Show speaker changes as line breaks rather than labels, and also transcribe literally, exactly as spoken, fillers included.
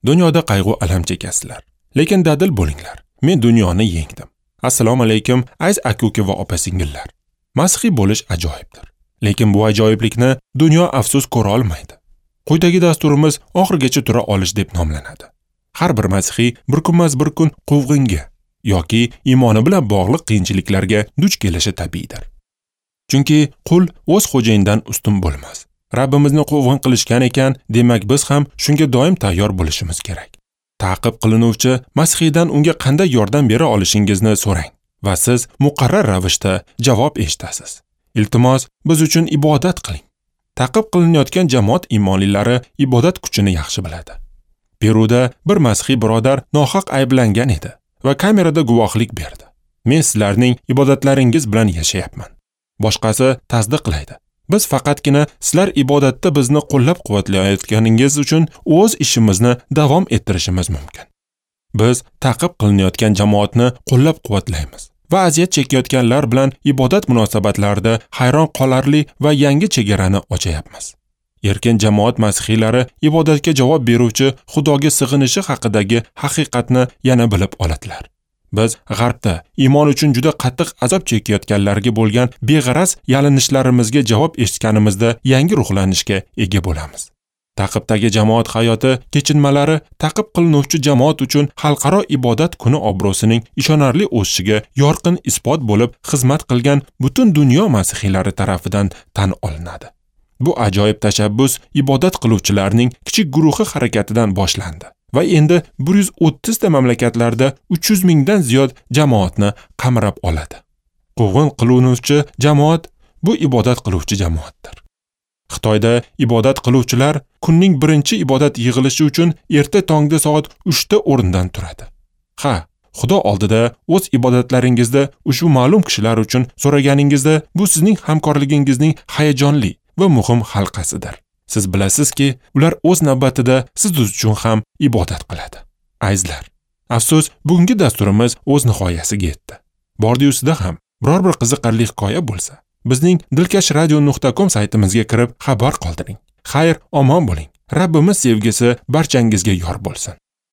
Dunyoda qayg'u alam chekasizlar, lekin dadil bo'linglar. Men dunyoni yengdim. Assalomu alaykum, aziz aka-uka va opa-singillar. Masihiy bo'lish ajoyibdir. Lekin bu ajoyiblikni dunyo afsus ko'ra olmaydi. Quyidagi dasturimiz oxirigacha tura olish deb nomlanadi. Har bir masihiy bir kunmas bir kun quvg'inga yoki iymoni bilan bog'liq qiyinchiliklarga duch kelishi tabiiydir. Chunki qul o'z xo'jayinidan ustun bo'lmas. Rabbimizni quvg'in qilishgan ekan, demak biz ham shunga doim tayyor bo'lishimiz kerak. Ta'qib qilinuvchi masihiydan unga qanday yordam bera olishingizni so'rang va siz muqarrar ravishda javob eshitasiz. Iltimos, biz uchun ibodat qiling. Ta'qib qilinayotgan jamoat iymonlilari ibodat kuchini yaxshi biladi. Peruda bir masihiy birodar nohaq ayblangan edi va kamerada guvohlik berdi. Men sizlarning ibodatlaringiz bilan yashayapman. Boshqasi tasdiqlaydi. Biz faqatgina sizlar ibodatda bizni qo'llab-quvvatlayotganingiz uchun o'z ishimizni davom ettirishimiz mumkin. Biz ta'qib qilinayotgan jamoatni qo'llab-quvvatlaymiz va aziyat chekayotganlar bilan ibodat munosabatlarida hayron qolarli va yangi chegarani ochayapmiz. Erkin jamoat masihiylari ibodatga javob beruvchi Xudoga sig'inishi haqidagi haqiqatni yana bilib oladilar. Biz G'arbda iymon uchun juda qattiq azob chekayotganlarga bo'lgan beg'araz yalinishlarimizga javob eshitganimizda yangi ruhlanishga ega bo'lamiz. Ta'qibdagi jamoat hayoti kechinmalari ta'qib qilinuvchi jamoat uchun xalqaro ibodat kuni obro'sining ishonarli o'sishiga yorqin isbot bo'lib xizmat qilgan butun dunyo masihiylari tarafidan tan olinadi. Bu ajoyib tashabbus ibodat qiluvchilarning kichik guruhi harakatidan boshlandi va endi bir yuz o'ttiz ta mamlakatlarda uch yuz mingdan ziyod jamoatni qamrab oladi. Quvg'in qilinuvchi jamoat bu ibodat qiluvchi jamoatdir. Xitoyda ibodat qiluvchilar kunning birinchi ibodat yig'ilishi uchun erta tongda soat uchda o'rnidan turadi. Ha, Xudo oldida o'z ibodatlaringizda ushbu ma'lum kishilar uchun so'raganingizda bu sizning hamkorligingizning hayajonli va muhim halqasidir. Siz bilasizki, ular o'z navbatida siz uchun ham ibodat qiladi. Azizlar, afsus, bugungi dasturimiz o'z nihoyasiga yetdi. Bordi-yusida ham biror bir qiziqarli hikoya bo'lsa, bizning dilkash radio nuqta com saytimizga kirib xabar qoldiring. Xayr, omon bo'ling. Rabbimiz sevgisi barchangizga yor bo'lsin.